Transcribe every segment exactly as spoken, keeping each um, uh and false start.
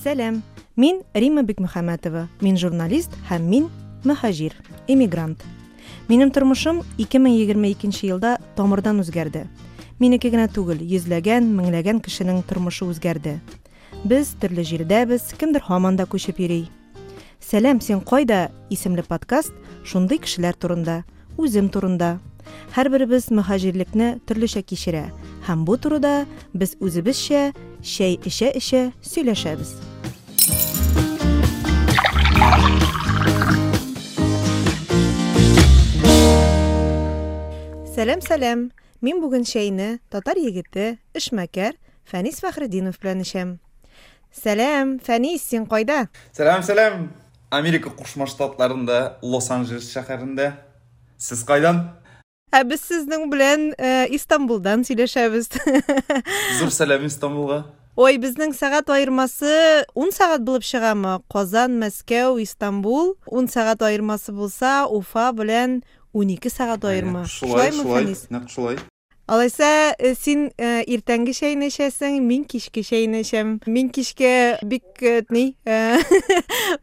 Сәлам, мин Римма Бикмөхәммәтова, мин журналист һәм мин мөһаҗир, эмигрант. Минем тормышым ике мең егерме икенче елда тамырдан үзгәрде. Минеке генә түгел, йөзләгән, меңләгән кешенең тормышы үзгәрде. Без төрле җирдәбез, кемдер һаман да күчеп йөри. Сәлам, син кайда? Исемле подкаст шундый кешеләр турында, үзем турында. Һәрберебез мөһаҗирлекне төрлечә кичерә һәм бу турыда без үзебезчә чәй эчә-эчә сөйләшәбез. Сәлам, сәлам. Мин бүген чәйне татар егете, эшмәкәр Фәнис Фәхретдинов белән эчәм. Сәлам, Фәнис, син кайда? Сәлам, сәлам. Америка Кушма Штатларында, Лос-Анджелес шәһәрендә. Сез кайдан? Ә без сезнең белән, э, Истанбулдан сөйләшәбез. Зур сәлам Истанбулга. Ой, безнең сәгать аермасы ун сәгать булып чыгамы? Казан, Мәскәү, Истанбул ун сәгать аермасы булса, Уфа белән унике сәгать аерма. Шулай, Шулаймы, шулай, Фәнис? нәкъ шулай. Алайса, э, син, э, иртәнге чәйне эчәсең, мин кичке чәйне эчәм. Мин кичке бик, э, ни, э,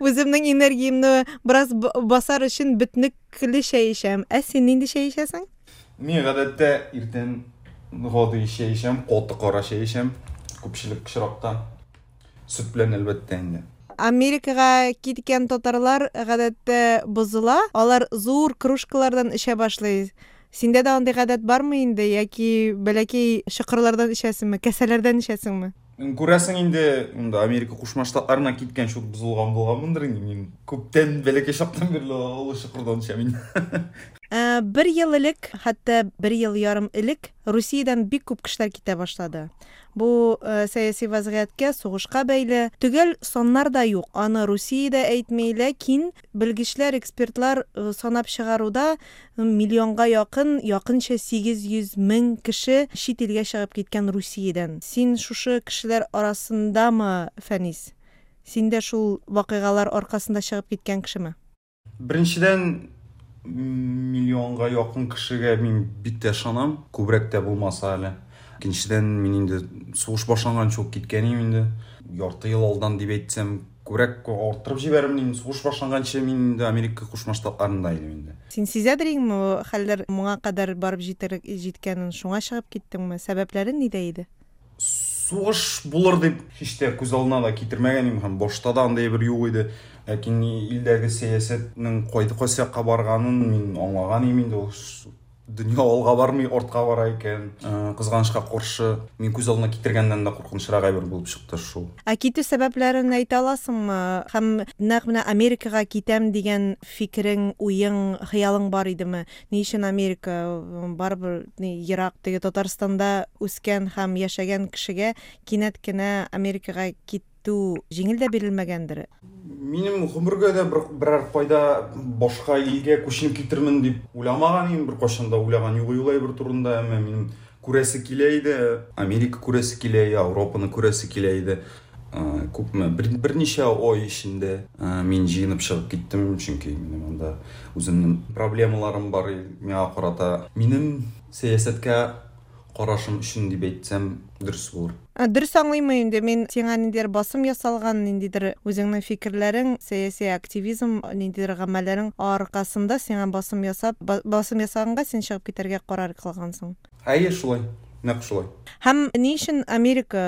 үземнең энергиямне бераз б-, басар өчен бөтнекле чәй эчәм. Ә син нинди чәй эчәсең? Мин гадәттә иртән гади чәй эчәм, каты кара чәй эчәм. Күпчелек очракта. Сөт белән әлбәттә инде. Америкага киткән татарлар гадәттә бозыла. Алар зур кружкалардан эчә башлый. Синдә дә андый гадәт бармы инде, яки бәләкәй чокырлардан эчәсеңме, кәсәләрдән эчәсеңме? Күрәсең инде, монда Америка Кушма Штатларына киткән шул бозылган булганмындыр инде. Мин күптән бәләкәй чактан бирле олы чокырдан эчәм инде. Ә, бер ел элек, хәтта бер ел ярым элек Русиядән бик күп кешеләр китә башлады. Бу, э, сәяси вазгыятькә, сугышка бәйле. Төгәл саннар да юк. Аны Русиядә әйтми, ләкин белгечләр, экспертлар, э, санап чыгаруда миллионга якын, якынча сигез йөз мең кеше чит илгә чыгып киткән Русиядән. Син шушы кешеләр арасындамы, Фәнис? Син дә шул вакыйгалар аркасында чыгып киткән кешеме? Беренчедән, миллионга якын кешегә мин бик тә ышанам, күбрәк тә булмаса әле. Икенчедән, мин инде сугыш башланганчы ук киткән идем инде. Ярты ел алдан дип әйтсәм, күбрәк арттырып җибәрермен инде. Сугыш башланганчы мин инде Америка Кушма Штатларында идем инде. Син сизәдер инде, хәлләр моңа кадәр барып җитер-, җиткәнен, шуңа чыгып киттеңме? Сәбәпләре нидә иде? Сугыш булыр дип һич тә күз алдына да китермәгән идем һәм башта да андый бер юк иде. Ләкин илдәге сәясәтнең кайда кайсы якка барганын мин аңлаган идем инде. Ул дөнья алга бармый, артка бара икән. Э, кызганычка каршы, мин күз алдына китергәннән дә куркынычрак әйбер булып чыкты шул. Ә китү сәбәпләрен әйтә аласыңмы? Һәм нәкъ менә Америкага китәм дигән фикерең, уең, хыялың бар идеме? Ни өчен Америка? Барыбер ни, ерак, теге Татарстанда үскән һәм яшәгән кешегә кинәт кенә Америкага китү җиңел дә бирелмәгәндер. Минем гомергә дә бер, берәр кайда башка илгә күченеп китермен дип уйламаган идем, бер кайчан да уйлаган юк ул әйбер турында, әмма минем күрәсе килә иде, Америка күрәсе килә иде, Европаны күрәсе килә иде. Э, күпме? Бер, берничә ай эчендә, э, мин җыенып чыгып киттем, чөнки минем анда үземнең проблемаларым бар иде миңа карата. Минем сәясәткә карашым өчен дип әйтсәм, дөрес булыр. Ә, дөрес аңлыйммы инде, мин сиңа ниндидер басым ясалган, ниндидер үзеңнең фикерләрең, сәяси активизм, ниндидер гамәлләрең аркасында сиңа басым ясап, ба-, басым ясаганга син чыгып китәргә карар кылгансың. Әйе, шулай. Нәкъ шулай. Һәм ни өчен Америка?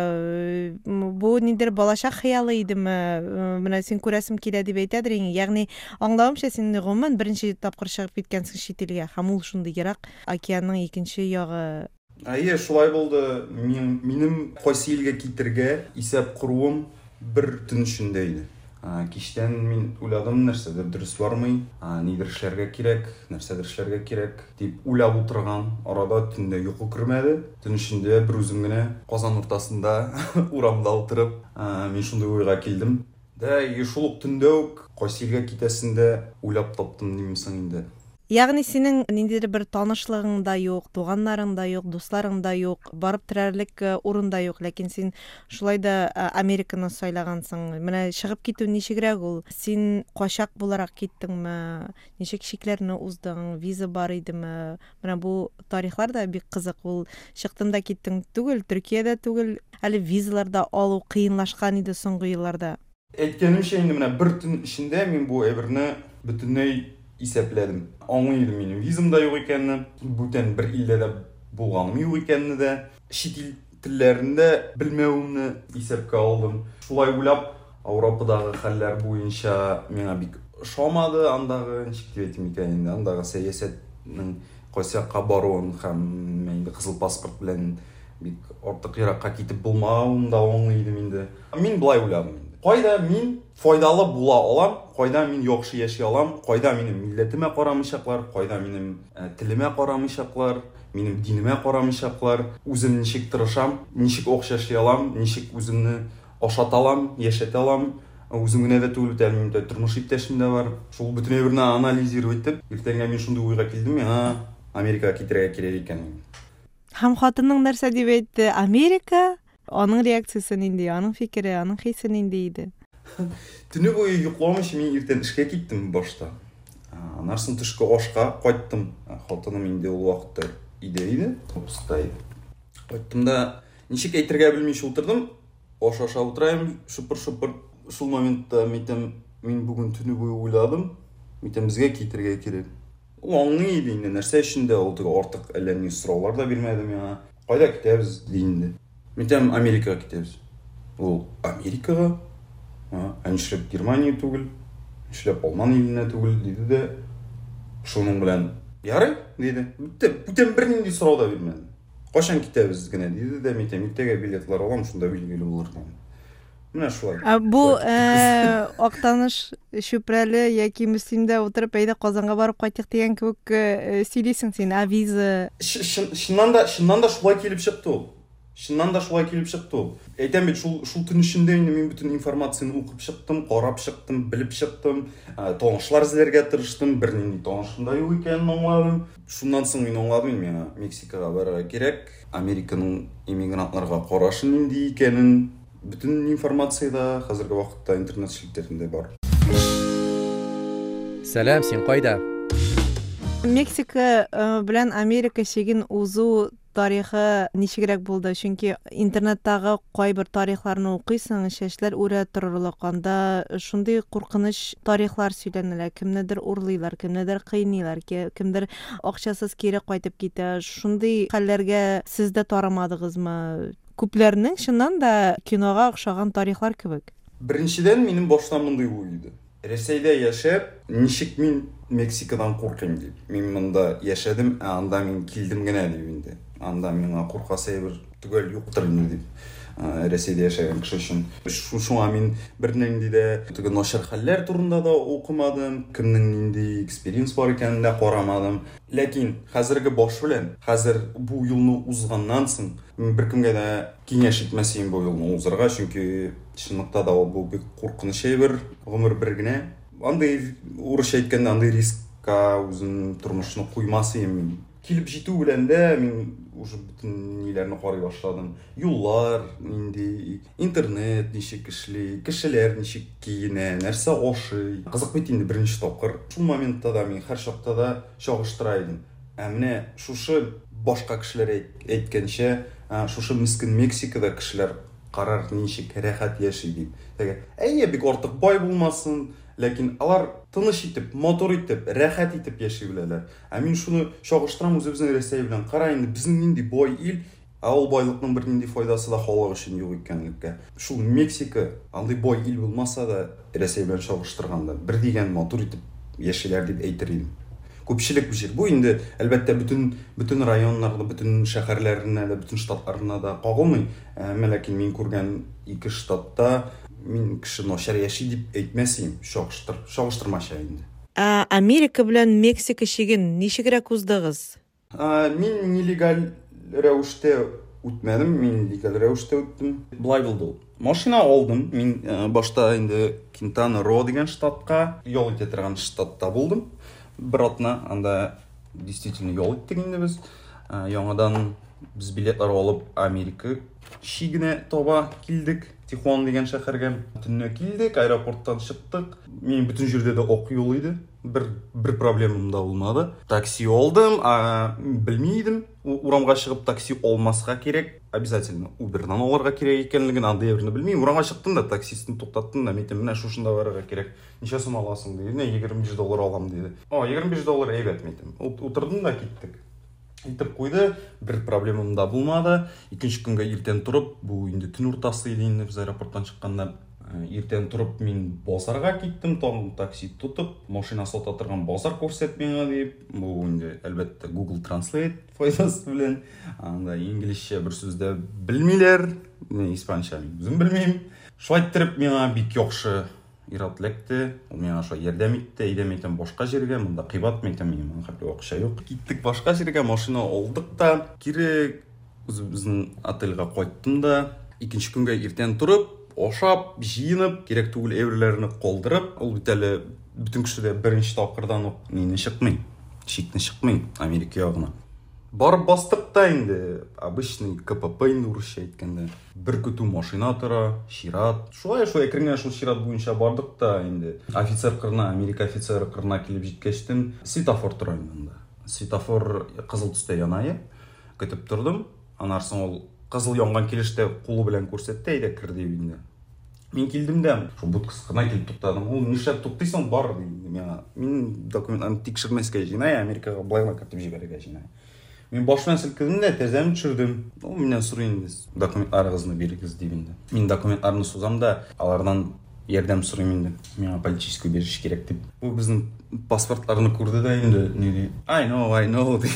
Бу ниндидер балачак хыялы идеме? Менә син күрәсем килә дип әйтәдер инде. Ягъни, аңлавымча, син гомумән беренче тапкыр чыгып киткәнсең чит илгә, һәм ул шундый ерак океанның икенче ягы. Әйе, шулай булды. Мин, минем кайсы илгә китергә исәп коруым бер төн эчендә иде. А, кичтән мин уйладым, нәрсәдер дөрес бармый, а, нидер эшләргә кирәк, нәрсәдер эшләргә кирәк дип уйлап утырган арада төндә йокы кермәде. Төн эчендә бер үзем генә Казан уртасында урамда утырып, а, мин шундый уйга килдем. Дә, и шул ук төндә үк кайсы илгә китәсен дә уйлап таптым димсең инде. Ягъни синең ниндидер бер танышлыгың да юк, туганнарың да юк, дусларың да юк, барып терәрлек урын да юк, ләкин син шулай да Американы сайлагансың. Менә чыгып китү ничегрәк ул? Син качак буларак киттеңме? Ничек чикләрне уздың? Виза бар идеме? Менә бу тарихлар да бик кызык. Ул чыктың да киттең түгел, Төркиядә түгел, әле визалар да алу кыенлашкан иде соңгы елларда. Әйткәнемчә, инде менә бер төн эчендә мин бу әйберне бөтенләй исәпләдем. Аңлый идем минем визам да юк икәнне, бүтән бер илдә дә булганым юк икәнне дә, чит ил телләрен дә белмәвемне исәпкә алдым. Шулай уйлап, Европадагы хәлләр буенча миңа бик ошамады андагы, ничек дип әйтим икән инде, андагы сәясәтнең кайсы якка баруын һәм инде кызыл паспорт белән бик артык еракка китеп булмавын да аңлый идем инде. Мин болай уйладым инде. Кайда мин файдалы була алам, кайда мин яхшы яши алам, кайда минем милләтемә карамыйчаклар, кайда минем телемә карамыйчаклар, минем динемә карамыйчаклар, үзем ничек тырышам, ничек акча эшли алам, ничек үземне ашата алам, яшәтә алам. Үзем генә дә түгел, минем дә тормыш иптәшем дә бар. Шул бөтен әйберне анализировать итеп, иртәнгә мин шундый уйга килдем, миңа Америкага китәргә кирәк икән. Һәм хатының нәрсә дип әйтте? Америка? Аның реакциясе нинди, аның фикере, аның хисе нинди иде? Төне буе йокламыйча мин иртән эшкә киттем башта. Аннан соң төшке ашка кайттым. Хатыным инде ул вакытта өйдә иде, отпускта иде. Кайттым да ничек әйтергә белмичә утырдым. Аш ашап утырайым, шыпыр-шыпыр. Шул моментта әйтәм, мин бүген төне буе уйладым. Әйтәм, безгә китәргә кирәк. Ул аңлый иде инде, нәрсә өчен дә ул теге артык әллә ни сораулар да бирмәде миңа. Кайда китәбез ди инде. Әйтәм, Америкага китәбез. Ул Америкага? Ә нишләп Германия түгел, нишләп Алман иленә түгел, диде дә шуның белән ярый, диде. Бетте, бүтән бернинди сорау да бирмәде. Кайчан китәбез генә, диде дә, әйтәм, иртәгә билетлар алам, шунда билгеле булыр дидем. Менә шулай. Ә бу Актаныш, Чүпрәле яки Мөслимдә утырып, әйдә Казанга барып кайтыйк дигән кебек сөйлисең син, ә виза? Чыннан да, чыннан да шулай килеп чыкты ул. Чыннан да шулай килеп чыкты ул. Әйтәм бит, шул, шул төн эчендә инде мин бөтен информацияне укып чыктым, карап чыктым, белеп чыктым, танышлар эзләргә тырыштым, бернинди танышым да юк икәнен аңладым. Шуннан соң мин аңладым, миңа Мексикага барырга кирәк, Американың иммигрантларга карашы нинди икәнен, бөтен информация да хәзерге вакытта интернет челтәрендә бар. Сәлам, син кайда? Мексика белән Америка чиген узу тарихы ничегрәк булды? Чөнки интернеттагы кайбер тарихларны укыйсың, чәчләр үрә торырлык, анда шундый куркыныч тарихлар сөйләнелә, кемнедер урлыйлар, кемнедер кыйныйлар, кемдер акчасыз кире кайтып китә. Шундый хәлләргә сез дә тарымадыгызмы? Күпләрнең чыннан да кинога охшаган тарихлар кебек. Беренчедән, минем башта мондый уй иде. Рәсәйдә яшәп, ничек мин Мексикадан куркыйм дип. Мин монда яшәдем, ә анда мин килдем генә дип инде. Анда миңа куркасы әйбер төгәл юктыр инде дип. Рәсәйдә яшәгән кеше өчен. Шуңа мин бернинди дә теге начар хәлләр турында да укымадым, кемнең нинди экспериенс бар икәнен дә карамадым. Ләкин хәзерге баш белән, хәзер бу юлны узганнан соң, мин беркемгә дә киңәш итмәс идем бу юлны узарга, чөнки чынлыкта да ул бу бик куркыныч әйбер, гомер бер генә. Андый, урысча әйткәндә, андый рискка үзен тормышны куймас идем мин. Килеп җитү белән дә мин уже бөтен ниләрне карый башладым. Юллар нинди, интернет ничек эшли, кешеләр ничек киенә, нәрсә ашый. Кызык бит инде беренче тапкыр. Шул моментта да мин һәр чакта да чагыштыра идем. Ә менә шушы башка кешеләр әйткәнчә, шушы мескен Мексикада кешеләр карар ничек рәхәт яши дип. Теге, әйе, бик артык бай булмасын, ләкин алар тыныч итеп, матур итеп, рәхәт итеп яши беләләр. Ә мин шуны чагыштырам үзебезнең Рәсәй белән. Кара инде, безнең нинди бай ил, ә ул байлыкның бернинди файдасы да халык өчен юк икәнлеккә. Шул Мексика андый бай ил булмаса да, Рәсәй белән чагыштырганда бер дигән матур итеп яшиләр дип әйтер идем. Күпчелек бу җир. Бу инде әлбәттә бөтен бөтен районнарда, бөтен шәһәрләренә дә, бөтен штатларына да кагылмый. Әмма ләкин мин күргән ике штатта мин кеше начар яши дип әйтмәс идем, чагыштыр, чагыштырмача инде. Ә Америка белән Мексика чиген ничегрәк уздыгыз? Мин нелегаль рәвештә үтмәдем, мин легаль рәвештә үттем. Болай булды ул. Машина алдым. Мин башта инде Кинтана Ро дигән штатка, ял итә торган штатта булдым. Бер атна анда действительно ял иттек инде без. Яңадан без билетлар алып Америка чигенә таба килдек. Тихуана дигән шәһәргә. Төнлә килдек, аэропорттан чыктык. Минем бөтен җирдә дә ак юл иде. Бер, бер проблемам да булмады. Такси алдым, а, белми идем. Урамга чыгып такси алмаска кирәк. Обязательно Uber'дан алырга кирәк икәнлеген андый берне белмим. Урамга чыктым да таксистны туктаттым да, әйттем, менә шушында барырга кирәк. Ничә сум аласың диде. Менә егерме биш доллар алам диде. О, егерме биш доллар әйбәт, әйттем. Утырдым да киттек. Итеп куйды, бер проблемам да булмады. Икенче көнгә иртән торып, бу инде төн уртасы иде инде без аэропорттан чыкканда. Иртән торып мин базарга киттем, тагын такси тотып, машина сата торган базар күрсәт миңа дип. Бу инде әлбәттә Google Translate файдасы белән. Анда инглизчә бер сүз дә белмиләр, испанча мин үзем белмим. Шулай иттереп миңа бик яхшы ир-ат эләкте. Ул миңа шулай ярдәм итте. Әйдә, мин әйтәм, башка җиргә, монда кыйбат, мин әйтәм, минем моның хәтле акча юк. Киттек башка җиргә, машина алдык та, кире үзебезнең отельгә кайттым да, икенче көнгә иртән торып, ашап, җыенып, кирәк түгел әйберләрне калдырып, ул бит әле бөтен кеше дә беренче тапкырдан ук мине чыкмый, чикне чыкмый Америка ягына. Барып бастык та инде, обычный ка пэ пэ инде урысча әйткәндә. Бер көтү машина тора, чират. Шулай шулай әкрен генә шул чират буенча бардык та инде. Офицер кырына, Америка офицеры кырына килеп җиткәчтен, светофор тора инде анда. Светофор кызыл төстә яна иде. Көтеп тордым. Аннан соң ул кызыл янган килештә кулы белән күрсәтте, әйдә кер дип инде. Мин килдем дә, шул будкасы кына килеп туктадым. Ул нишләп туктыйсың, бар ди инде миңа. Мин документларны тикшермәскә җыена, Америкага былай гына кертеп җибәрергә җыена. Мин баш белән селкедем дә, тәрәзәмне төшердем. Ул миннән сорый инде, документларыгызны бирегез дип инде. Мин документларны сузам да, алардан ярдәм сорыйм инде. Миңа политический убежище кирәк дип. Бу безнең паспортларны күрде дә инде, ни ди? I know, I know ди.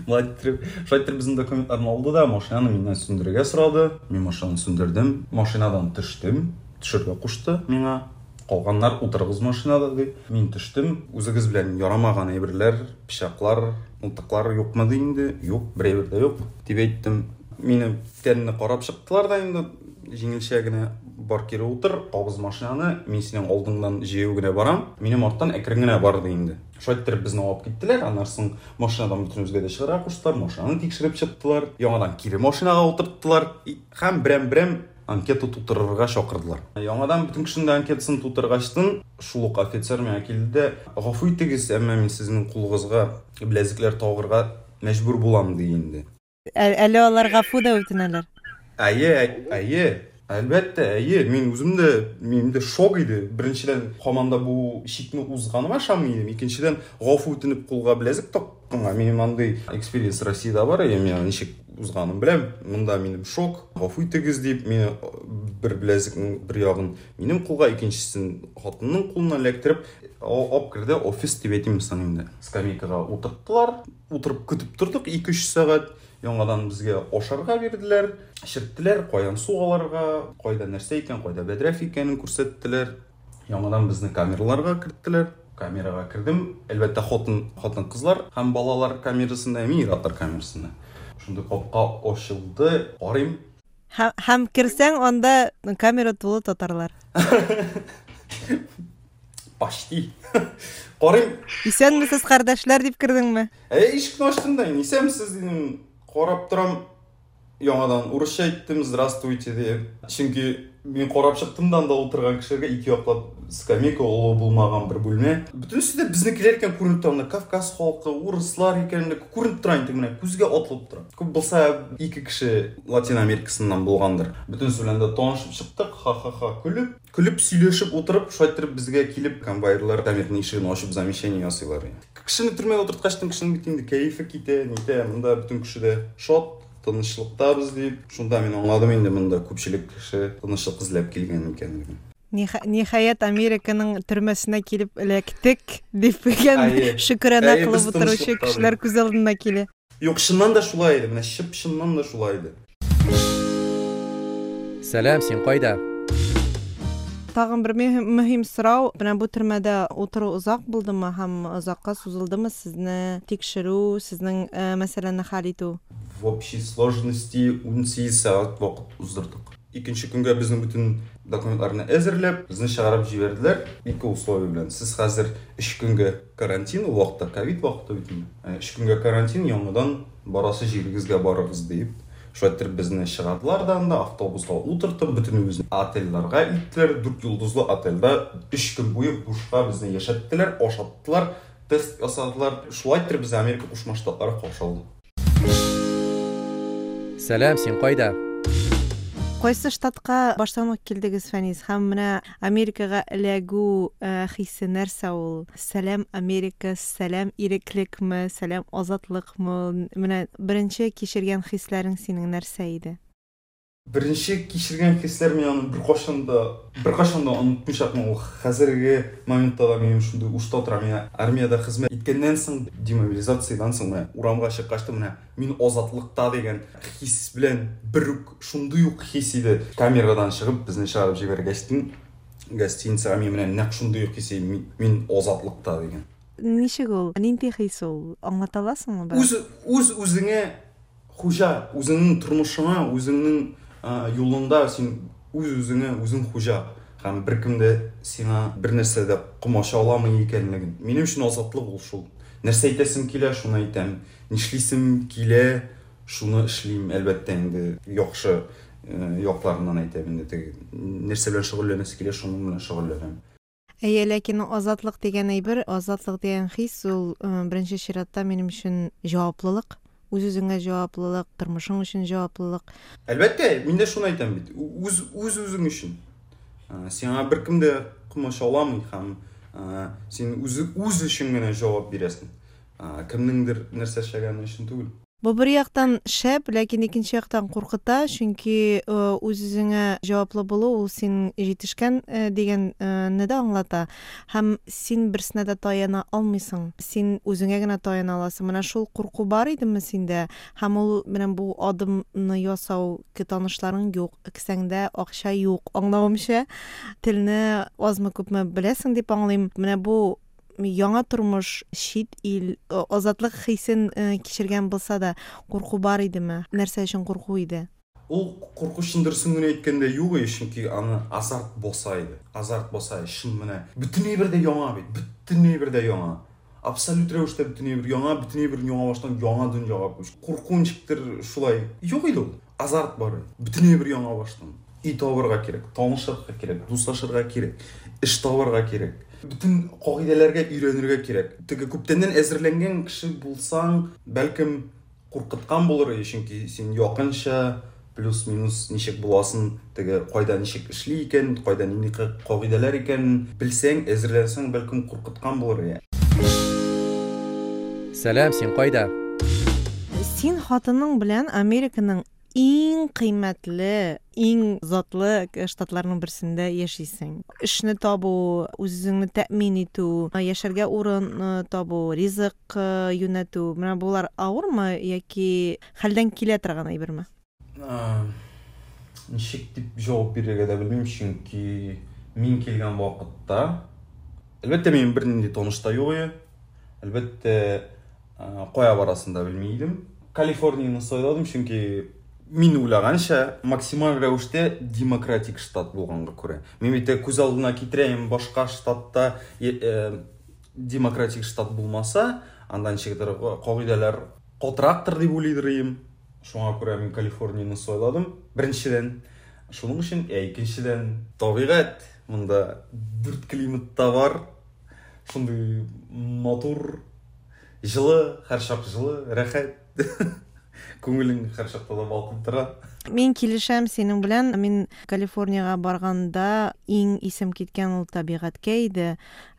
Болай иттереп, шулай иттереп безнең документларны алды да, машинаны миннән сүндерергә сорады. Мин машинаны сүндердем, машинадан төштем, төшергә кушты миңа. Калганнар утырыгыз машинада ди. Мин төштем, үзегез белән ярамаган әйберләр, пычаклар, мылтыклар юкмы ди инде? Юк, бер әйбер дә юк дип әйттем. Мине тәнне карап чыктылар да инде, җиңелчә генә бар кире утыр, кабыз машинаны, мин синең алдыңнан җәяү генә барам, минем арттан әкрен генә бар ди инде. Шулай иттереп безне алып киттеләр, аннан соң машинадан бөтенебезгә дә чыгарга куштылар, машинаны тикшереп чыктылар, яңадан кире машинага утырттылар һәм берәм-берәм анкета тутырырга чакырдылар. Яңадан бөтен кешенең дә анкетасын тутыргачтын, шул ук офицер миңа килде дә, гафу итегез, әмма мин сезнең кулыгызга беләзекләр тагырга мәҗбүр булам ди инде. Ә-, әле алар гафу да үтенәләр. Әйе, әйе, әлбәттә, әйе. Мин үзем дә, минем дә шок иде. Беренчедән, һаман да бу чикне узганыма ышанмый идем. Икенчедән, гафу үтенеп кулга беләзек такканга минем андый экспириенс Россиядә бар, әйе, мин ничек узганын беләм. Монда минем шок, гафу итегез дип, мине бер беләзекнең бер ягын минем кулга, икенчесен хатынның кулына эләктереп, алып керде, офис дип әйтим соң инде. Скамейкага утырттылар, утырып көтеп тордык ике-өч сәгать. Яңадан безгә ашарга бирделәр, эчерттеләр, каян су алырга, кайда нәрсә икән, кайда бәдрәф икәнен күрсәттеләр. Яңадан безне камераларга керттеләр. Камерага кердем. Әлбәттә, хатын, хатын-кызлар һәм балалар камерасында, мин ир-атлар камерасында. Шундый капка ачылды, карыйм. Һәм, һәм керсәң, анда камера тулы татарлар. Почти. Карыйм. Исәнмесез, кардәшләр дип кердеңме? Әй, ишекне ачтым да, исәнмесез дидем. Карап торам, яңадан урысча әйттем, здравствуйте дип. Чөнки мин карап чыктым да, анда утырган кешеләргә ике яклап скамейка, олы булмаган бер бүлмә. Бөтенесе дә безнекеләр икән күренеп тора, анда Кавказ халкы, урыслар икән күренеп тора инде, менә күзгә атылып тора. Күп булса ике кеше Латин Америкасыннан булгандыр. Бөтенесе белән дә танышып чыктык, ха-ха-ха көлеп, көлеп сөйләшеп утырып, шулай иттереп безгә килеп конвоирлар камерның ишеген ачып замечание ясыйлар. Кешене төрмәгә утырткачтын кешенең бит инде кәефе китә, нитә, монда бөтен кеше дә шат, тынычлыктабыз дип. Шунда мин аңладым инде, монда күпчелек кеше тынычлык эзләп килгән икәнлеген. Ниха-, ниһаять, Американың төрмәсенә килеп эләктек дип дигән Әйе. шөкранә Әйе, кылып без утыручы тынычлыктабыз. кешеләр күз алдына килә. Юк, чыннан да шулай иде, менә чып чыннан да шулай иде. Сәлам, син кайда? Тагын бер мөһим, мөһим сорау. Менә бу төрмәдә утыру озак булдымы һәм озакка сузылдымы сезне тикшерү, сезнең, э, мәсьәләне хәл итү? В общей сложности ун сигез сәгать вакыт уздырдык. Икенче көнгә безнең бөтен документларны әзерләп, безне чыгарып җибәрделәр. Ике условие белән. Сез хәзер өч көнгә карантин, ул вакытта ковид вакыты бит инде. Өч көнгә карантин, яңадан барасы җирегезгә барыгыз дип. Шулай итеп безне чыгардылар да анда, автобуска утыртып, бөтенебезне отельләргә иттеләр. Дүрт йолдызлы отельдә өч көн буе бушка безне яшәттеләр, ашаттылар, тест ясадылар. Шулай итеп безне Америка Кушма Штатлары каршы алды. Сәлам, син кайда? Кайсы штатка баштан ук килдегез, Фәнис? Һәм менә Америкага эләгү хисе нәрсә ул? Сәлам Америка, сәлам иреклекме, сәлам азатлыкмы? Менә беренче кичергән хисләрең синең нәрсә иде? Беренче кичергән хисләр мин аны беркайчан да, беркайчан да онытмыйчакмын. Ул хәзерге моментта да минем шундый ушта тора. Мин армиядә хезмәт иткәннән соң, демобилизациядән соң менә урамга чыккач та менә мин азатлыкта дигән хис белән бер үк шундый ук хис иде. Камерадан чыгып безне чыгарып җибәргәчтен гостиницага мин менә нәкъ шундый ук хис иде. Мин азатлыкта дигән. Ничек ул? Нинди хис ул? Аңлата аласыңмы бераз? Үз, үз үзеңә хуҗа, үзеңнең тормышыңа, үзеңнең юлыңда син үз-үзеңә үзең хуҗа һәм беркем дә сиңа бер нәрсә дә комачауламый икәнлеген. Минем өчен азатлык ул шул. Нәрсә әйтәсем килә, шуны әйтәм. Нишлисем килә, шуны эшлим. Әлбәттә инде яхшы якларыннан әйтәм инде. Теге нәрсә белән шөгыльләнәсе килә, шуның белән шөгыльләнәм. Әйе, ләкин азатлык дигән әйбер, азатлык дигән хис ул беренче чиратта минем өчен җаваплылык. Үз-үзеңә җаваплылык, тормышың өчен җаваплылык. Әлбәттә, мин дә шуны әйтәм бит. Үз, үз үзең өчен. Сиңа беркем дә комачауламый һәм син үзе үз өчен генә җавап бирәсең. Кемнеңдер нәрсә эшләгәне өчен түгел. Бу бер яктан шәп, ләкин икенче яктан куркыта, чөнки үз-үзеңә җаваплы булу ул син җитешкән дигәнне дә аңлата. Һәм син берсенә дә таяна алмыйсың. Син үзеңә генә таяна аласың. Менә шул курку бар идеме синдә? Һәм ул менә бу адымны ясау, танышларың юк, кесәңдә акча юк, аңлавымча, телне азмы-күпме беләсең дип аңлыйм. Менә бу яңа тормыш, чит ил, азатлык хисен кичергән булса да, курку бар идеме? Нәрсә өчен курку иде? Ул курку чын дөресен генә әйткәндә юк иде, чөнки аны азарт баса иде. Азарт баса, чын менә. Бөтен әйбер дә яңа бит, бөтен әйбер дә яңа. Абсолют рәвештә бөтен әйбер яңа, бөтен әйбер яңа баштан яңа дөньяга күч. Курку ничектер шулай юк иде ул. Азарт бар иде. Бөтен әйбер яңа баштан. Өй табырга кирәк, танышырга кирәк, дуслашырга кирәк, эш табырга кирәк. Бөтен кагыйдәләргә өйрәнергә кирәк. Теге күптәннән әзерләнгән кеше булсаң, бәлкем куркыткан булыр иде, чөнки син якынча плюс-минус ничек буласын, теге кайда ничек эшли икән, кайда нинди кагыйдәләр икән белсәң, әзерләнсәң, бәлкем куркыткан булыр иде. Сәлам, син кайда? Син хатының белән Американың иң кыйммәтле, иң затлы штатларның берсендә яшисең. Эшне табу, үзеңне тәэмин итү, яшәргә урын табу, ризык юнәтү, менә болар авырмы яки хәлдән килә торган әйберме? Ничек дип җавап бирергә дә белмим, чөнки мин килгән вакытта, әлбәттә, минем бернинди таныш та юк иде. Әлбәттә, кая барасын да белми идем. Калифорнияне сайладым, чөнки мин уйлаганча, максималь рәвештә демократик штат булганга күрә. Мин бит күз алдына китерәм, башка штатта демократик штат булмаса, анда ничектер кагыйдәләр катырактыр дип уйлыйдыр идем. Шуңа күрә мин Калифорнияне сайладым. Беренчедән, шуның өчен, ә икенчедән, табигать монда дүрт климат та бар. Шундый матур, җылы, һәрчак җылы, рәхәт. Күңелең һәрчакта да балкып тора. Мин килешәм синең белән. Мин Калифорнияга барганда иң исем киткән ул табигатькә иде.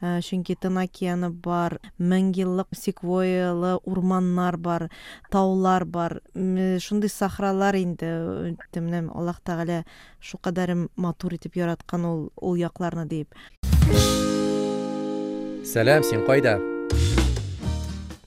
Чөнки Тын океаны бар, мең еллык секвойялы урманнар бар, таулар бар, шундый сахралар инде. Менә Аллаһ Тәгалә шулкадәр матур итеп яраткан ул, ул якларны дип. Сәлам, син кайда?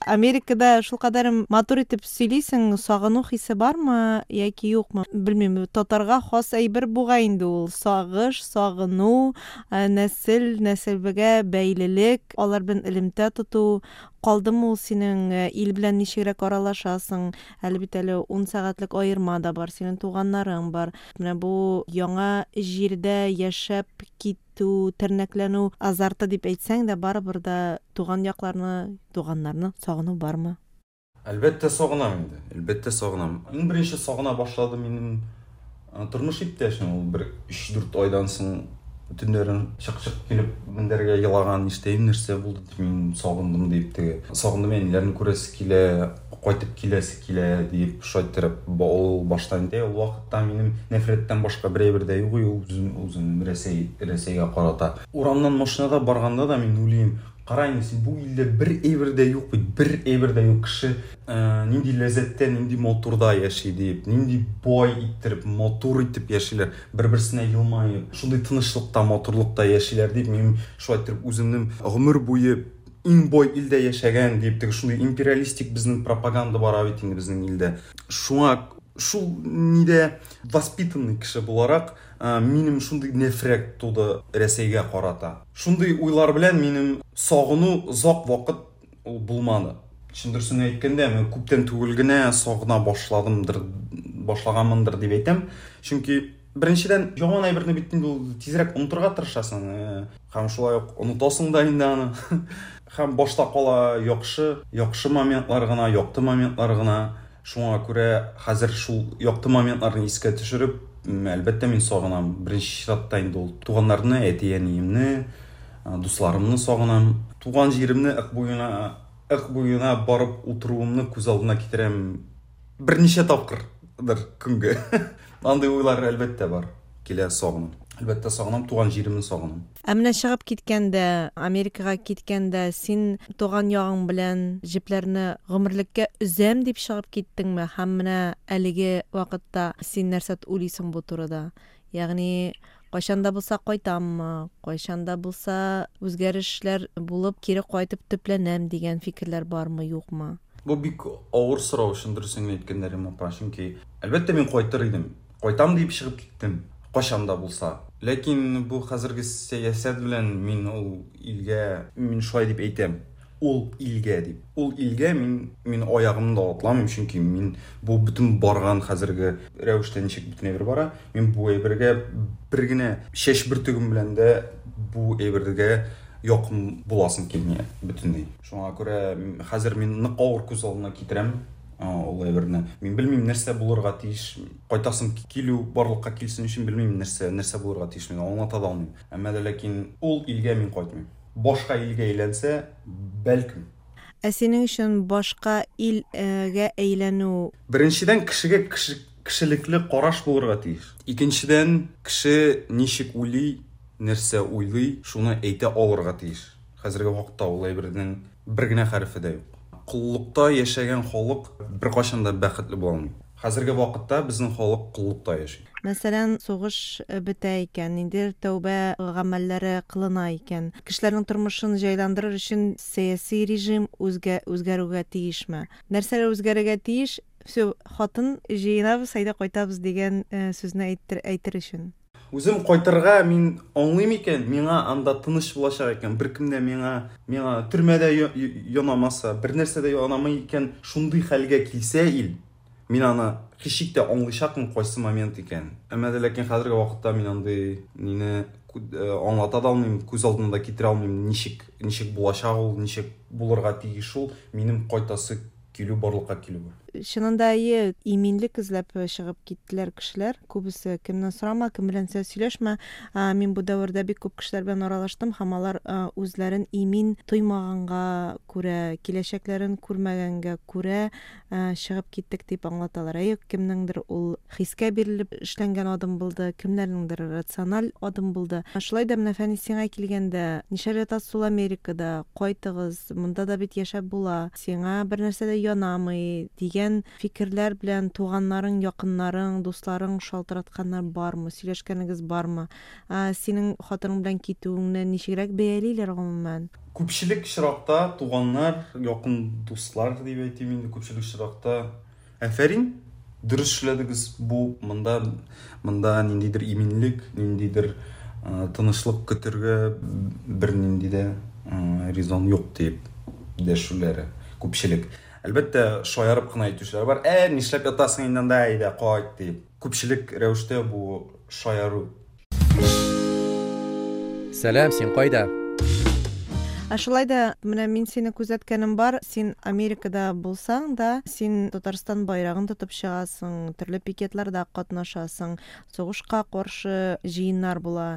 Америкада шулкадәр матур итеп сөйлисең, сагыну хисе бармы яки юкмы? Белмим, татарга хас әйбер буга инде ул. Сагыш, сагыну, нәсел, нәселбегә бәйлелек, алар белән элемтә тоту, Калдымы ул синең, ил белән ничегрәк аралашасың? Әле бит әле ун сәгатьлек аерма да бар, синең туганнарың бар. Менә бу яңа җирдә яшәп китү, тернәкләнү азарты дип әйтсәң дә, барыбер дә туган якларны, туганнарны сагыну бармы? Әлбәттә сагынам инде. Әлбәттә сагынам. Иң беренче сагына башлады минем тормыш иптәшем. Ул бер өч-дүрт айдан соң төннәрен чык-чык килеп мендәргә елаган, ништәйм, нәрсә булды дип, мин сагындым дип, теге сагындым, әниләрне күрәсе килә, кайтып киләсе килә дип шайтырып, ул баштан инде ул вакытта минем нәфрәттән башка бер әйбер дә юк, ул үзем, үзем Рәсәй, Рәсәйгә карата. Урамнан машинада барганда да мин уйлыйм, кара инде син, бу илдә бер әйбер дә юк бит, бер әйбер дә юк. Кеше нинди ләззәттә, нинди матурда яши дип, нинди бай иттереп, матур итеп яшиләр, бер-берсенә елмаеп, шундый тынычлыкта, матурлыкта яшиләр дип, мин шулай иттереп үземнең гомер буе иң бай илдә яшәгән дип, теге шундый империалистик безнең пропаганда бара бит инде безнең илдә. Шуңа шул нидә воспитанный кеше буларак, минем шундый нәфрәт туды Рәсәйгә карата. Шундый уйлар белән минем сагыну озак вакыт ул булмады. Чын дөресен әйткәндә, мин күптән түгел генә сагына башладымдыр, башлаганмындыр дип әйтәм. Чөнки беренчедән, яман әйберне бит инде ул тизрәк онытырга тырышасың, һәм шулай ук онытасың да инде аны. Һәм башта кала яхшы, яхшы моментлар гына, якты моментлар гына. Шуңа күрә хәзер шул якты моментларны искә төшереп, әлбәттә мин сагынам. Беренче чиратта инде ул туганнарны, әти-әниемне, дусларымны сагынам. Туган җиремне ык буена, ык буена барып утыруымны күз алдына китерәм берничә тапкырдыр көнгә. Андый уйлар әлбәттә бар. Килә сагынам. Әлбәттә сагынам, туган җиремне сагынам. Ә менә чыгып киткәндә, Америкага киткәндә, син туган ягың белән җепләрне гомерлеккә өзәм дип чыгып киттеңме? Һәм менә әлеге вакытта син нәрсә уйлыйсың бу турыда? Ягъни кайчан да булса кайтаммы, кайчан да булса үзгәрешләр булып кире кайтып төпләнәм дигән фикерләр бармы, юкмы? Бу бик авыр сорау, чын дөресен әйткәндә, Римма апа, чөнки әлбәттә мин кайтыр идем. Кайтам дип чыгып киттем, кайчан да булса. Ләкин бу хәзерге сәясәт белән мин ул илгә, мин шулай дип әйтәм, ул илгә дип. Ул илгә мин, мин аягымны да атламыйм, чөнки мин бу бөтен барган хәзерге рәвештә ничек бөтен әйбер бара, мин бу әйбергә бер генә чәч бөртегем белән дә бу әйбергә якын буласым килми бөтенләй. Шуңа күрә хәзер мин нык авыр күз алдына китерәм ул әйберне. Мин белмим нәрсә булырга тиеш, кайтасым килү барлыкка килсен өчен белмим нәрсә, нәрсә булырга тиеш, мин аңлата да алмыйм. Әмма дә ләкин ул илгә мин кайтмыйм. Башка илгә әйләнсә, бәлкем. Ә синең өчен башка илгә әйләнү? Беренчедән, кешегә кеше, кешелекле караш булырга тиеш. Икенчедән, кеше ничек уйлый, нәрсә уйлый, шуны әйтә алырга тиеш. Хәзерге вакытта ул әйбернең бер генә хәрефе дә юк. Коллыкта яшәгән халык беркайчан да бәхетле була алмый. Хәзерге вакытта безнең халык коллыкта яши. Мәсәлән, сугыш бетә икән, ниндидер тәүбә гамәлләре кылына икән, кешеләрнең тормышын җайландырыр өчен сәяси режим үзгә, үзгәрүгә тиешме? Нәрсәләр үзгәрергә тиеш? Всё, хатын җыенабыз, әйдә кайтабыз дигән сүзне әйтер, әйтер өчен. Үзем кайтырга мин аңлыйм икән, миңа анда тыныч булачак икән, беркем дә миңа, миңа төрмәдә янамаса, бер нәрсә дә янамый икән, шундый хәлгә килсә ил, мин аны һичшик тә аңлыйчакмын кайсы момент икән. Әмма дә ләкин хәзерге вакытта мин андый нине аңлата да алмыйм, күз алдына да китерә алмыйм, ничек, ничек булачак ул, ничек булырга тиеш ул, минем кайтасы килү барлыкка килү. Чынында әйе, иминлек эзләп чыгып киттеләр кешеләр. Күбесе кемнән сорама, кем белән сөйләшмә. Мин бу дәвердә бик күп кешеләр белән аралаштым һәм алар үзләрен имин тоймаганга күрә, киләчәкләрен күрмәгәнгә күрә чыгып киттек дип аңлаталар. Әйе, кемнеңдер ул хискә бирелеп эшләнгән адым булды, кемнәрнеңдер рациональ адым булды. Шулай да менә Фәнис, сиңа килгәндә, нишләп ятасыз ул Америкада, кайтыгыз, монда да бит яшәп була, сиңа бер нәрсә дә янамый дигән фикерләр белән туганнарың, якыннарың, дусларың шалтыратканнар бармы, сөйләшкәнегез бармы? Синең хатының белән китүеңне ничегрәк бәялиләр гомумән? Күпчелек очракта туганнар, якын дуслар дип әйтим инде, күпчелек очракта афәрин, дөрес эшләдегез, бу монда, монда ниндидер иминлек, ниндидер тынычлык көтәргә бернинди дә резон юк дип дәшүләре күпчелек. Әлбәттә, шаярып кына әйтүчеләр бар. Ә, нишләп ятасың инде анда, әйдә, кайт дип. Күпчелек рәвештә бу шаяру. Сәлам, син кайда? Ә шулай да менә мин сине күзәткәнем бар, син Америкада булсаң да, син Татарстан байрагын тотып чыгасың, төрле пикетларда катнашасың, сугышка каршы җыеннар була,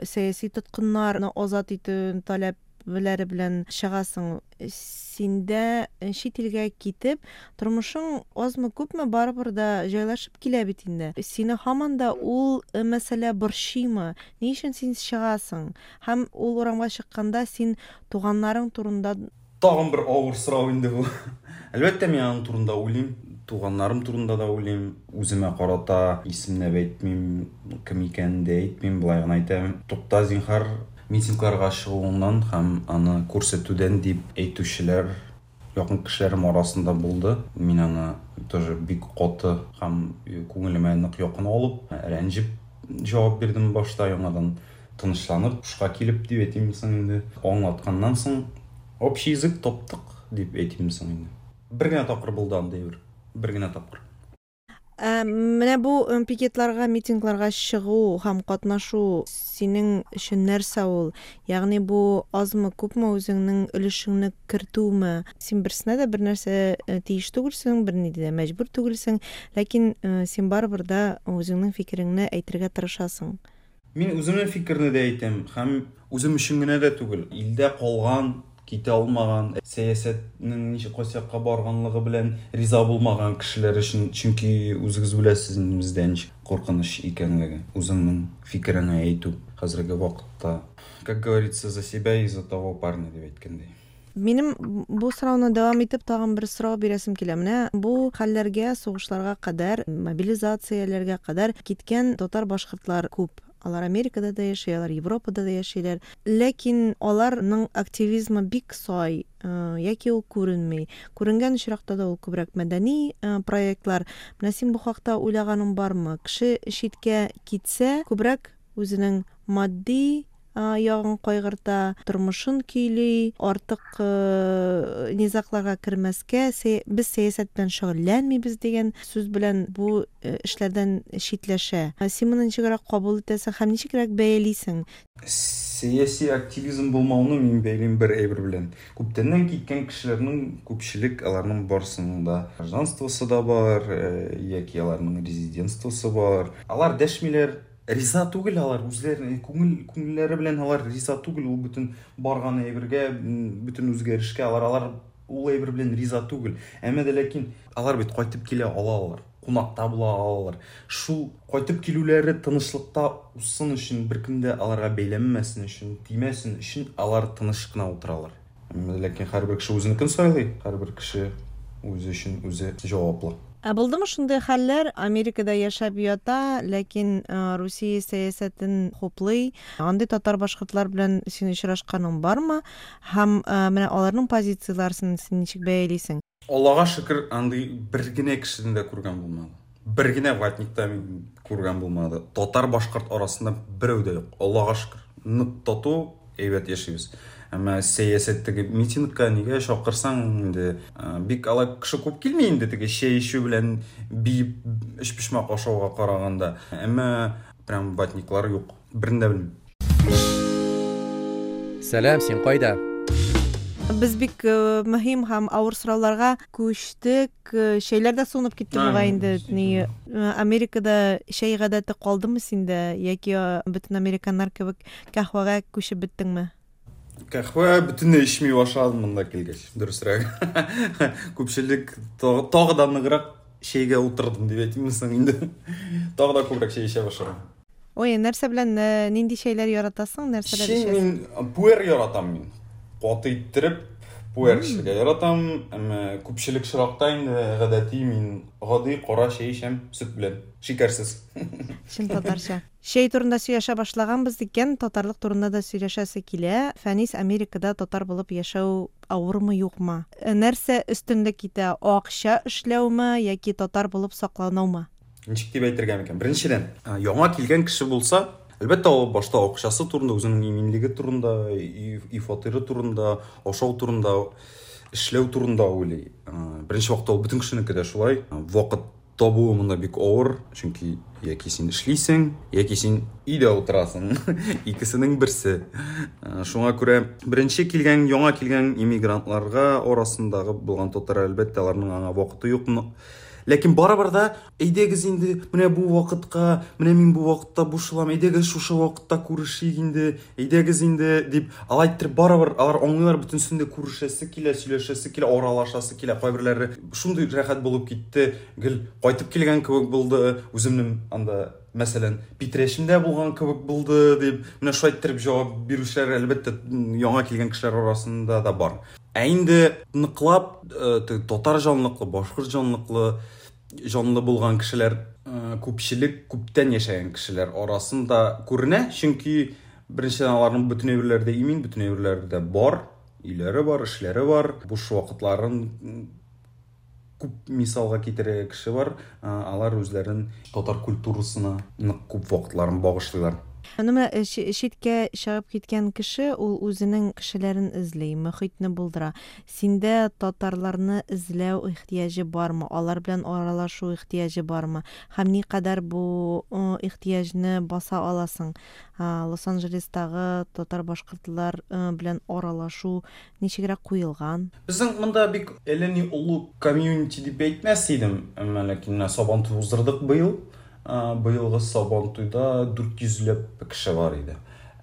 сәяси тоткыннарны азат итү таләпләре белән чыгасың. Синдә чит илгә китеп, тормышың азмы күпме барыбер да җайлашып килә бит инде. Сине һаман да ул мәсьәлә борчыймы? Ни өчен син чыгасың? Һәм ул урамга чыкканда син туганнарың турында... Тагын бер авыр сорау инде бу. Әлбәттә, мин аның турында уйлыйм, туганнарым турында да уйлыйм. Үземә карата исемләп әйтмим, кем икәнен дә әйтмим, былай гына әйтәм. Тукта, зинһар, митингларга чыгуыннан һәм аны күрсәтүдән дип әйтүчеләр якын кешеләрем арасында булды. Мин аны тоже бик каты һәм күңелемә нык якын алып, рәнҗеп җавап бирдем башта, яңадан тынычланып, һушка килеп дип әйтим соң инде. Аңлатканнан соң общий язык таптык дип әйтим соң инде. Бер генә тапкыр булды андый бер, бер генә тапкыр. Менә бу пикетларга, митингларга чыгу һәм катнашу синең өчен нәрсә ул? Ягъни бу азмы, күпме үзеңнең өлешеңне кертүме? Син берсенә дә бер нәрсә тиеш түгелсең, берни дә мәҗбүр түгелсең, ләкин син барыбер да үзеңнең фикереңне әйтергә тырышасың. Мин үземнең фикерне дә әйтәм һәм үзем өчен генә дә түгел. Илдә калган, китә алмаган, сәясәтнең ничек кайсы якка барганлыгы белән риза булмаган кешеләр өчен, чөнки үзегез беләсез бездә ничек куркыныч икәнлеге, үзеңнең фикереңне әйтү хәзерге вакытта, как говорится, за себя и за того парня дип әйткәндәй. Минем бу сорауны дәвам итеп тагын бер сорау бирәсем килә. Менә бу хәлләргә, сугышларга кадәр, мобилизацияләргә кадәр киткән татар-башкортлар күп. Алар Америкада да яши, алар Европада да яшиләр. Ләкин аларның активизмы бик сай, яки ул күренми. Күренгән очракта да ул күбрәк мәдәни проектлар. Менә син бу хакта уйлаганың бармы? Кеше читкә китсә, күбрәк үзенең матди ягын кайгырта, тормышын көйли, артык низакларга кермәскә, без сәясәт белән шөгыльләнмибез дигән сүз белән бу эшләрдән читләшә. Син моны ничегрәк кабул итәсең һәм ничегрәк бәялисең? Сәяси активизм булмауны мин бәйлим бер әйбер белән. Күптәннән киткән кешеләрнең күпчелек аларның барысының да гражданствосы да бар, яки аларның резидентствосы бар. Алар дәшмиләр, риза түгел алар, үзләренең күңел, күңелләре белән алар риза түгел, ул бөтен барган әйбергә, бөтен үзгәрешкә алар, алар ул әйбер белән риза түгел. Әмма дә ләкин алар бит кайтып килә алалар, кунакта була алалар. Шул кайтып килүләре тынычлыкта узсын өчен, беркем дә аларга бәйләнмәсен өчен, тимәсен өчен алар тыныч кына утыралар. Әмма дә ләкин һәрбер кеше үзенекен сайлый, һәрбер кеше үзе өчен үзе җаваплы. Ә булдымы шундый хәлләр? Америкада яшәп ята, ләкин Русия сәясәтен хуплый. Андый татар-башкортлар белән син очрашканың бармы? Һәм менә аларның позицияләрен син ничек бәялисең? Аллага шөкер, андый бер генә кешене дә күргән булмады. Бер генә ватникта мин күргән булмады. Татар-башкорт арасында берәү дә юк. Аллага шөкер. Нык тату, әйбәт яшибез. Әмма сәясәттәге митингка нигә чакырсаң инде, бик алай кеше күп килми инде теге чәй эчү белән биеп өчпочмак ашауга караганда. Әмма прям ватниклар юк. Берни дә белмим. Сәлам, син кайда? Без бик мөһим һәм авыр сорауларга күчтек. Чәйләр дә суынып китте бугай инде. Ни, Америкада чәй гадәте калдымы синдә яки бөтен американнар кебек каһвәгә күчеп беттеңме? Каһвә бөтенләй эчми башладым монда килгәч, дөресрәге. Күпчелек тагы да ныграк чәйгә утырдым дип әйтимме соң инде. Тагы да күбрәк чәй эчә башладым. Ой, нәрсә белән нинди чәйләр яратасың, нәрсәләр эчәсең? Чәй мин пуэр яратам мин. Каты иттереп пуэр эчәргә яратам, әмма күпчелек очракта инде гадәти мин гади кара чәй эчәм, сөт белән, шикәрсез. Чын татарча. Чәй турында сөйләшә башлаганбыз икән, татарлык турында да сөйләшәсе килә. Фәнис, Америкада татар булып яшәү авырмы, юкмы? Нәрсә өстенлек итә? Акча эшләүме яки татар булып саклануымы? Ничек дип әйтергә микән? Беренчедән, яңа килгән кеше булса, әлбәттә, ул башта акчасы турында, үзенең иминлеге турында, и фатиры турында, ашау турында эшләү турында уйлый. Беренче вакытта ул бөтен кешенеке дә шулай. Вакыт табуы монда бик авыр, чөнки яки син эшлисең, яки син өйдә утырасың. Икесенең берсе. Шуңа күрә беренче килгән, яңа килгән иммигрантларга арасындагы булган татар, әлбәттә, аларның аңа вакыты юк. Ләкин барыбер да әйдәгез инде менә бу вакытка, менә мин бу вакытта бушылам, әйдәгез шушы вакытта күрешик инде, әйдәгез инде дип, алай иттереп барыбер алар аңлыйлар, бөтенесен дә күрешәсе килә, сөйләшәсе килә, аралашасы килә. Кайберләре шундый рәхәт булып китте, гел кайтып килгән кебек булды, үземнең анда мәсәлән, Питрәчемдә булган кебек булды дип, менә шулай иттереп җавап бирүчеләр әлбәттә яңа килгән кешеләр арасында да бар. Ә инде ныклап татар җанлыклы, башкорт җанлыклы, җанлы булган кешеләр күпчелек күптән яшәгән кешеләр арасында күренә, чөнки беренчедән аларның бөтен әйберләре дә имин, бөтен әйберләре дә бар, өйләре бар, эшләре бар, буш вакытларын күп мисалга китерә кеше бар, алар үзләрен татар культурасына нык күп вакытларын багышлыйлар. Аны менә читкә чыгып киткән кеше ул үзенең кешеләрен эзли, мөхитне булдыра. Синдә татарларны эзләү ихтыяҗы бармы? Алар белән аралашу ихтыяҗы бармы? Һәм никадәр бу ихтыяҗны баса аласың? Лос-Анджелестагы татар-башкортлар белән аралашу ничегрәк куелган? Безнең монда бик әллә ни олы комьюнити дип әйтмәс идем, әмма ләкин менә Сабантуй уздырдык быел. Быелгы Сабантуйда дүрт йөзләп кеше бар иде.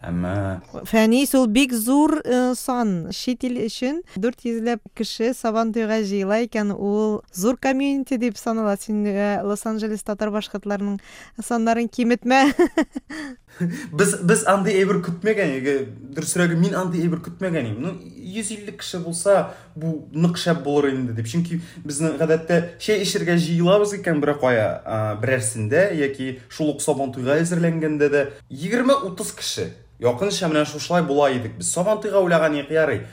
Әмма Фәнис, ул бик зур сан. Чит ил өчен дүрт йөзләп кеше Сабантуйга җыела икән, ул зур комьюнити дип санала. Син Лос-Анджелес татар-башкортларының саннарын киметмә. Без, без андый әйбер көтмәгән, дөресрәге мин андый әйбер көтмәгән идем. Ну, йөз илле кеше булса, бу нык шәп булыр инде дип. Чөнки безнең гадәттә чәй эчәргә җыелабыз икән бер кая, берәрсендә яки шул ук Сабантуйга әзерләнгәндә дә егерме утыз кеше. Якынча менә шушылай була идек. Без Сабантуйга уйлаган идек, ярый.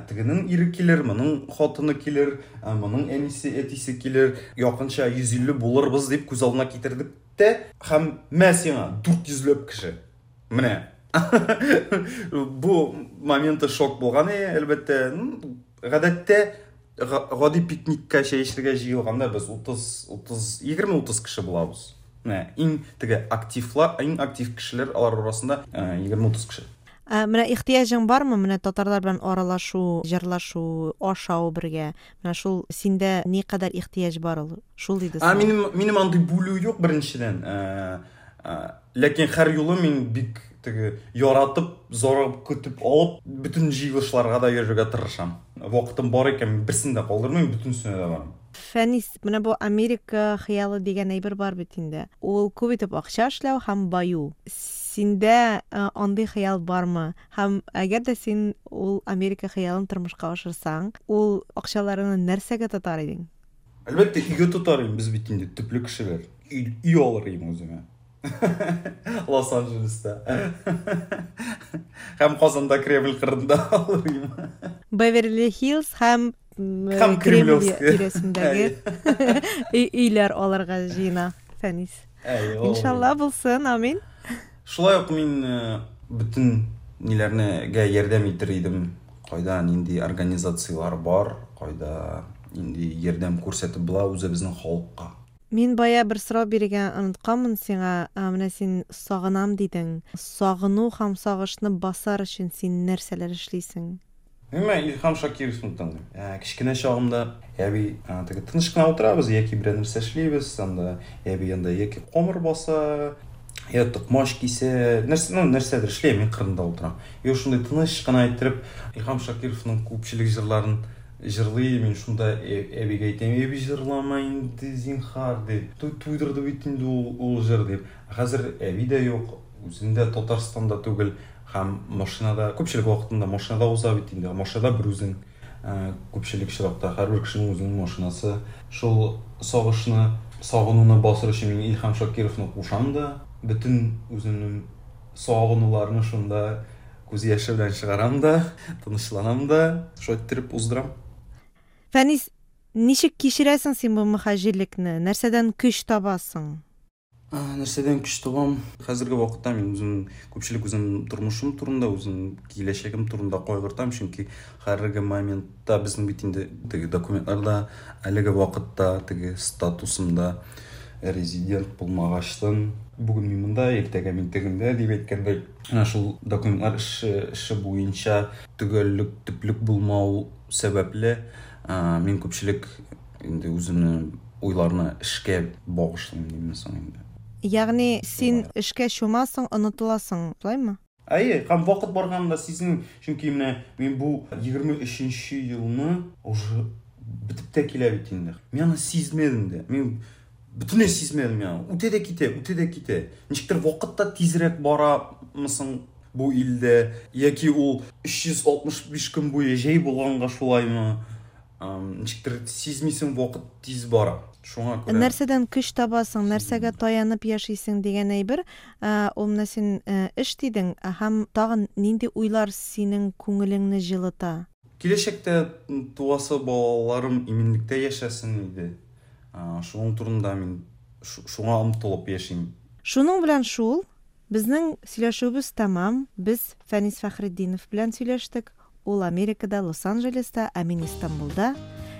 Тегенең ире килер, моның хатыны килер, моның әнисе, әтисе килер. Якынча йөз илле булырбыз дип күз алдына китердек тә, һәм мә сиңа дүрт йөзләп кеше. Менә. Бу моменты шок булган, әлбәттә. Гадәттә гади пикникка чәй эчәргә җыелганда без утыз, утыз, егерме утыз кеше булабыз. Менә иң теге активлар, иң актив кешеләр алар арасында егерме утыз кеше. Менә ихтыяҗың бармы? Менә татарлар белән аралашу, җырлашу, ашау бергә. Менә шул синдә никадәр ихтыяҗ бар ул? Шул диде. А минем минем андый бүлү юк беренчедән. Ләкин һәр юлы мин бик теге яратып, зарыгып көтеп алып, бөтен җыелышларга да йөрергә тырышам. Вакытым бар икән, берсен дә калдырмыйм, бөтенесенә дә барам. Фәнис, менә бу Америка хыялы дигән әйбер бар бит инде. Ул күп итеп акча эшләү һәм баю. Синдә андый хыял бармы? Һәм әгәр дә син ул Америка хыялын тормышка ашырсаң, ул акчаларыңны нәрсәгә тотар идең? Әлбәттә, өйгә тотар идем. Без бит инде төпле кешеләр. Өй, өй алыр идем үземә. Лос-Анджелеста. Һәм Казанда Кремль кырында алыр идем. Беверли-Хиллз һәм Һәм Кремль Кремлевский. тирәсендәге өйләр алырга җыена, Фәнис. Иншалла булсын, амин. Шулай ук мин бөтен ниләрнегә ярдәм итер идем. Кайда нинди организациялар бар, кайда нинди ярдәм күрсәтеп була үзебезнең халыкка. Мин бая бер сорау бирергә онытканмын сиңа. Менә син сагынам дидең. Сагыну һәм сагышны басар өчен син нәрсәләр эшлисең? Мин Илһам Шакировны тыңлыйм. Кечкенә чагымда әби теге тыныч кына утырабыз, яки берәр нәрсә эшлибез, анда әби анда яки камыр баса, я токмач кисә, нәрсә, ну, нәрсәдер эшләйм, мин кырында утырам. И шундай тыныч кына иттереп Илһам Шакировның күпчелек җырларын җырлый, мин шунда әбигә әйтәм, әби җырлама инде, зинһар, дип. Туйдырды бит инде ул, ул җыр дип. Хәзер әби дә юк, үзем дә Татарстанда түгел. Һәм машинада, күпчелек вакытында машинада уза бит инде. Машинада бер үзең, күпчелек чиракта һәрбер кешенең үзенең машинасы. Шул сагышны, сагынуны басыр өчен мин Илһам Шакировны кушам да, бөтен үземнең сагынуларны шунда күз яше белән чыгарам да, тынычланам да, шулай иттереп уздырам. Фәнис, ничек кичерәсең син бу мөһаҗирлекне? Нәрсәдән көч табасың? Нәрсәдән көч табам? Хәзерге вакытта мин үзем күпчелек үзем тормышым турында, үзем киләчәгем турында кайгыртам, чөнки хәзерге моментта безнең бит инде теге документларда әлеге вакытта теге статусымда резидент булмагачтын, бүген мин монда, иртәгә мин тегендә дип әйткәндәй, менә шул документлар эше, эше буенча төгәллек, төплек булмау сәбәпле, мин күпчелек инде үземнең уйларны эшкә багышлыйм димме соң инде. Ягъни син эшкә чумасың, онытыласың, шулаймы? Әйе, һәм вакыт барганда сизмим, чөнки менә мин бу егерме өченче елны уже бетеп тә килә бит инде. Мин аны сизмәдем дә. Мин бөтенләй сизмәдем я. Үтә дә китә, үтә дә китә. Ничектер вакыт та тизрәк барамысың бу илдә, яки ул өч йөз алтмыш биш көн буе җәй булганга шулаймы? Ничектер сизмисең, вакыт тиз бара. Шуңа күрә Нәрсәдән көч табасың, нәрсәгә таянып яшисең дигән әйбер, ул менә син эш дидең, һәм тагын нинди уйлар синең күңелеңне җылыта? Киләчәктә туасы балаларым иминлектә яшәсен иде. Шуның турында мин шуңа омтылып яшим. Шуның белән шул, безнең сөйләшүебез тәмам. Без Фәнис Фәхретдинов белән сөйләштек. Ул Америкада, Лос-Анджелеста, ә мин Истанбулда.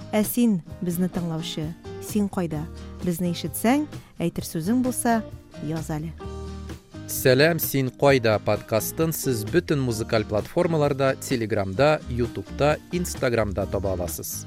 Ә син, безне тыңлаучы, син кайда? Безне ишетсәң, әйтер сүзең булса, яз әле. Сәлам, син кайда подкастын сез бөтен музыкаль платформаларда, Телеграмда, Ютубта, Инстаграмда таба аласыз.